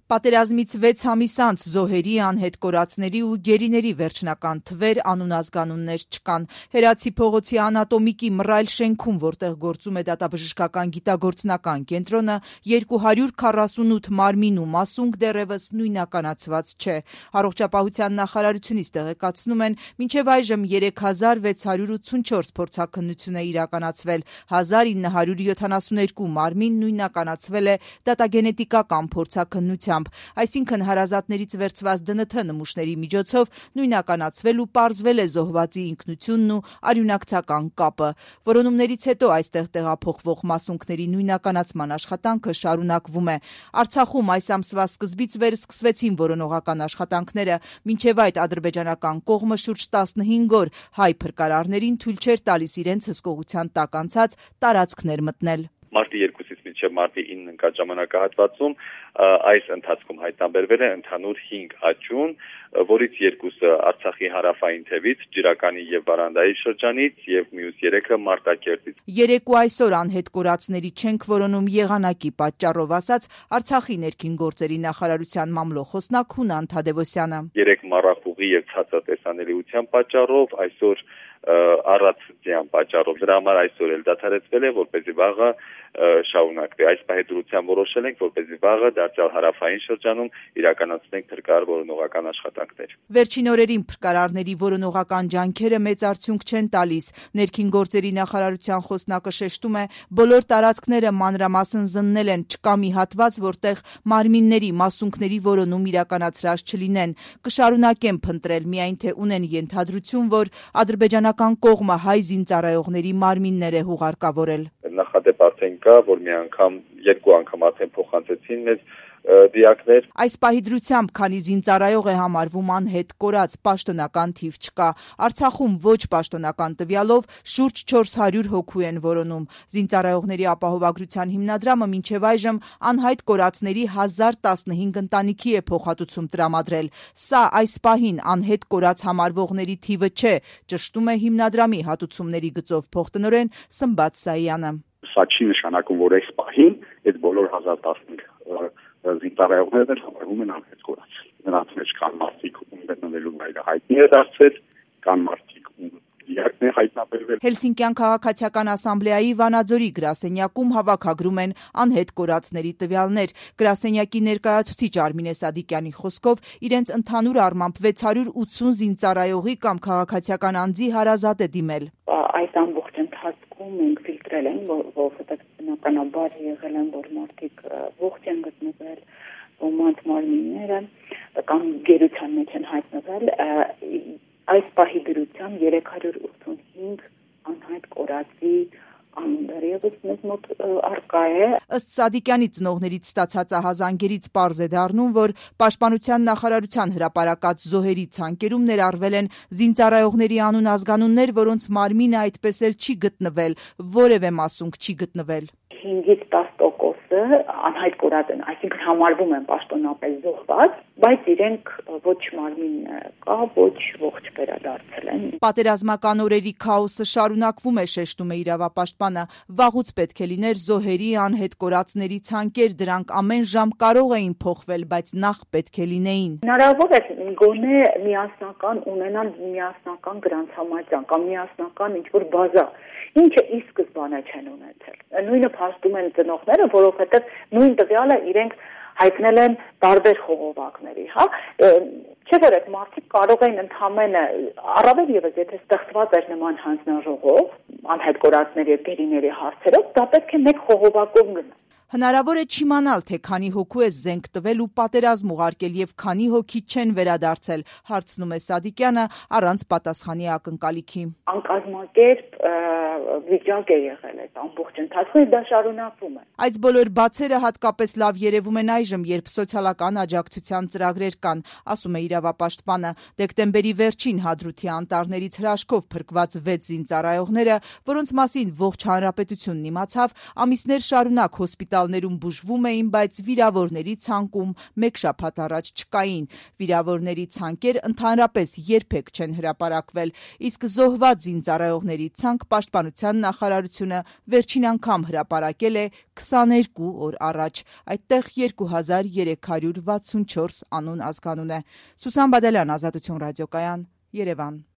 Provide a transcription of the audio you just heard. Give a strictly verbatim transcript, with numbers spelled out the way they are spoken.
Պատերազմից վեց ամիս անց զոհերի, անհետ կորածների ու գերիների վերջնական թվեր, անունազգանուններ չկան։ Հերացի փողոցի անատոմիկի մռայլ շենքում, որտեղ գործում է դատաբժշկական գիտագործնական կենտրոնը, երկու հարյուր քառասունութ մարմին ու մասունք դեռևս նույնականացված չէ։ Առողջապահության նախարարությունից տեղեկացնում են, մինչև այժմ երեք հազար վեց հարյուր ութսունչորս փորձաքննություն է իրականացվել, հազար ինը հարյուր յոթանասունհինգ մարմին նույնականացվել է դատագենետիկական փորձաքննությամբ։ Այսինքն հարազատներից վերցված դն թ նմուշների միջոցով նույնականացվել ու պարզվել է զոհվածի ինքնությունն ու արյունակցական կապը։ Որոնումներից հետո այստեղ տեղափոխվող մասունքների նույնականացման աշխատանքը շարունակվում է։ Արցախում այս ամսվա սկզբից վեր սկսվեցին որոնողական աշխատանքները, մինչև այդ ադրբեջանական կողմը շուրջ տասնհինգ օր հայ փրկարարներին թույլ չէր տալիս իրենց հսկողության տակ անցած տարածքներ մտնել։ Մարտի երկուսից մինչև մարտի ինը ընկած ժամանակահատվածում այս ընթացքում հայտնաբերվել է ընդհանուր հինգ աճուն, որից երկուսը Արցախի հարավային թևից, Ջրականի եւ Վարանդայի շրջանից եւ մյուս երեքը Մարտակերտից։ Երեք ու այսօր անհետ կորածների չենք որոնում եղանակի պատճառով, ասաց Արցախի ներքին գործերի նախարարության մամլոխոսնակ Հունան Թադևոսյանը։ Երեք մառախուղի եւ ցածրատեսանելիության պատճառով այսօր առածության պատճառով դրա համար այսօր էլ դադարեցվել է, որպեսզի վաղը շարունակվի։ Այս պահեդրությամբ որոշել ենք, որպեսզի վաղը դարձյալ հարավային շրջանում իրականացնենք փրկարար որոնողական աշխատանքներ։ Վերջին օրերին փրկարարների որոնողական ջանքերը մեծ արդյունք չեն տալիս։ Ներքին գործերի նախարարության խոսնակը շեշտում է, բոլոր տարածքները մանրամասն զննել են, չկա մի հատված, որտեղ մարմինների, մասունքների որոնում իրականացրած չլինեն։ Կշարունակեն փնտրել, միայն թե ունեն ենթադրություն, որ ադրբեջանական կողմը հայ զինծառայողների մարմիններ է հուղարկավորել։ Նախադեպ արդեն կա, որ մի անգամ, երկու անգամ արդեն փոխանցեցին մեզ դիակներ։ Այս պահի դրությամբ, քանի զինծառայող է համարվում անհետ կորած, պաշտոնական թիվ չկա։ Արցախում ոչ պաշտոնական տվյալով շուրջ չորս հարյուր հոգու են որոնում։ Զինծառայողների ապահովագրության հիմնադրամը մինչև այժմ անհայտ կորածների հազար տասնհինգ ընտանիքի է փոխհատուցում տրամադրել։ Սա այս պահին անհետ կորած համարվողների թիվը չէ, ճշտում է հիմնադրամի հատուցումների գծով փոխտնօրեն Սմբատ Սայանը։ Սա չի նշանակում, որ այս պահին այդ բոլոր հազար տասնհինգ զինծառայողներն համարվում են անհետ կորած։ Նրանց մեջ կան մարդիկ, ում գտնվելու վայրը հայտնի է դարձել, կան մարդիկ, ում դիակն է հայտնաբերվել։ Հելսինկյան քաղաքացիական ասամբլեայի Վանաձորի գրասենյակում հավաքագրում են անհետ կորածների տվյալներ։ Գրասենյակի ներկայացուցիչ Արմինե Սադիկյանի խոսքով իրենց ընդհանուր առմամբ վեց հարյուր ութսուն զինծառայողի կամ քաղաքացիական անձի հարազատ է դիմել։ Այս ամբողջ ընթացքում մենք ֆիլտրել ենք, որովհետև բնականաբար եղել են, որ մարդիկ ողջ են գտնվել, ոմանց մարմինները կամ գերության մեջ են հայտնվել։ Այս պահի դրությամբ երեք հարյուր ութսունհինգ անհայտ կորածի անուններ ևս մեզ մոտ առկա է։ Ըստ Սադիկյանի ծնողներից ստացած ահազանգերից պարզ է դառնում, որ Պաշտպանության նախարարության հրապարակած զոհերի ցանկերում ներառվել են զինծառայողների անուն-ազգանուններ, որոնց մարմինը այդպես էլ չի գտնվել, որևէ մասունք չի գտնվել։ հինգից տաս տոկոսը անհայտ կորած են, այսինքն համարվում են պաշտոնապես զոհված, բայց իրենք ոչ մարմին կա, ոչ ողջ վերադարձել են։ Պատերազմական օրերի քաոսը շարունակվում է, շեշտում է իրավապաշտպանը։ Վաղուց պետք է լիներ զոհերի անհետ կորածների ցանկեր, դրանք ամեն ժամ կարող էին փոխվել, բայց նախ պետք է լինեին։ Հնարավոր է գոնե միասնական ունենալ միասնական գրանցամատյան կամ միասնական ինչ-որ բազա, ինչը ի սկզբանե չեն ունեցել։ Նույնը փաստում են ծնողները, որովհետև նույն տվյալը իրենք հայտնել են տարբեր խողովակների, հա, չէ՞ որ այդ մարդիկ կարող են ընդհանրապես առավել եւս եթե ստեղծված էր նման հանձնաժողով, անհետ կորածների եւ գերիների հարցերով, դա պետք է մեկ խողովակով գնա։ Հնարավոր է չիմանալ, թե քանի հոգու է զենք տվել ու պատերազմ ուղարկել եւ քանի հոգի չեն վերադարձել, հարցնում է Սադիկյանը առանց պատասխանի ակնկալիքի։ Անկազմակերպ վիճակ է եղել այդ ամբողջ ընթացքում, դա շարունակվում է։ Այս բոլոր բացերը հատկապես լավ երևում են այժմ, երբ սոցիալական աջակցության ծրագրեր կան, ասում է իրավապաշտպանը։ Դեկտեմբերի վերջին Հադրութի անտառներից հրաշքով փրկված վեց զինծառայողները, որոնց մասին ողջ հանրապետությունն իմացավ, ամիսներ շարունակ հոսպիտալ հոսպիտալներում բուժվում էին, բայց վիրավորների ցանկում մեկ շաբաթ առաջ չկային։ Վիրավորների ցանկեր ընդհանրապես երբեք չեն հրապարակվել, իսկ զոհված զինծառայողների ցանկ Պաշտպանության նախարարությունը վերջին անգամ հրապարակել է քսաներկու օր առաջ։ Այդտեղ երկու հազար երեք հարյուր վաթսունչորս անուն ազգանուն է։ Սուսան Բադալյան, Ազատություն ռադիոկայան, Երևան։